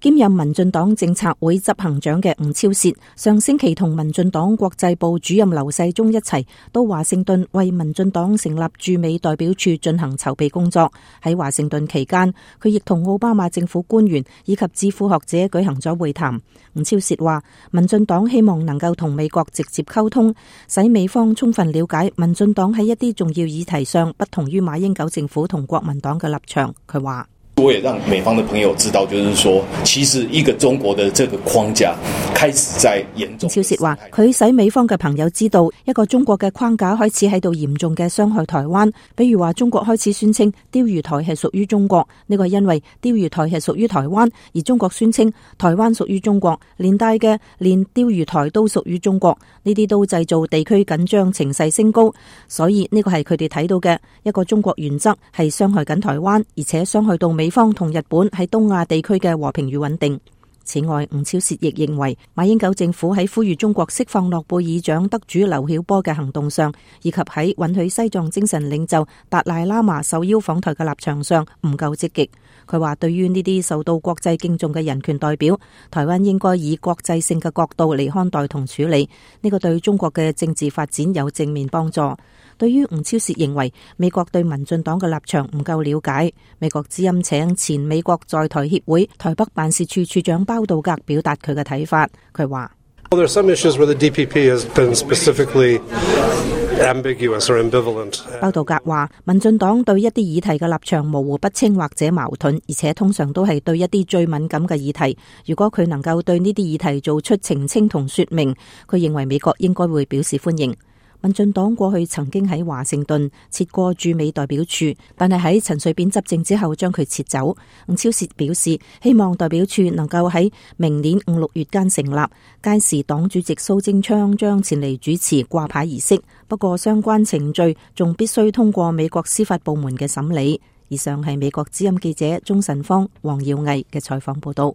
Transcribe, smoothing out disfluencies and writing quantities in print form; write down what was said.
兼任民進黨政策會執行長嘅吳釗燮，上星期同民進黨國際部主任劉世忠一齊到華盛頓為民進黨成立駐美代表處進行籌備工作。喺華盛頓期間，佢亦同奧巴馬政府官員以及智庫學者舉行咗會談。吳釗燮話，民進黨希望能夠同美國直接溝通，使美方充分了解民進黨喺一啲重要議題上不同於馬英九政府同國民黨嘅立場。佢話，我也讓美方的朋友知道，就是說，其實一個中國的這個框架開始在嚴重。釗燮話，佢使美方嘅朋友知道，一個中國嘅框架開始喺度嚴重嘅傷害台灣。比如話，中國開始宣稱釣魚台係屬於中國，呢個係因為釣魚台係屬於台灣，而中國宣稱台灣屬於中國，連帶嘅連釣魚台都屬於中國，呢啲都製造地區緊張情勢升高。所以呢個係佢哋睇到嘅一個中國原則係傷害緊台灣，而且傷害到美方同日本喺東亞地區嘅和平與穩定。此外，吳釗燮亦認為馬英九政府喺呼籲中國釋放諾貝爾獎得主劉曉波嘅行動上，以及喺允許西藏精神領袖達賴喇嘛受邀訪台嘅立場上唔夠積極。佢話，對於呢啲受到國際敬重嘅人權代表，台灣應該以國際性嘅角度嚟看待同處理，呢個對中國嘅政治發展有正面幫助。對於吳釗燮認為美國對民進黨嘅立場唔夠了解，美國之音請前美國在台協會台北辦事處處長包道格表達佢嘅睇法。佢話，包道格話，民進黨對一啲議題嘅立場模糊不清或者矛盾，而且通常都係對一啲最敏感嘅議題。如果佢能夠對呢啲議題做出澄清同說明，佢認為美國應該會表示歡迎。民進黨過去曾經喺華盛頓設過駐美代表處，但係喺陳水扁執政之後將佢撤走。吳釗燮表示，希望代表處能夠喺明年5、6月間成立，屆時黨主席蘇貞昌將前嚟主持掛牌儀式。不過相關程序仲必須通過美國司法部門嘅審理。以上係美國之音記者鍾晨芳、黃耀毅嘅採訪報道。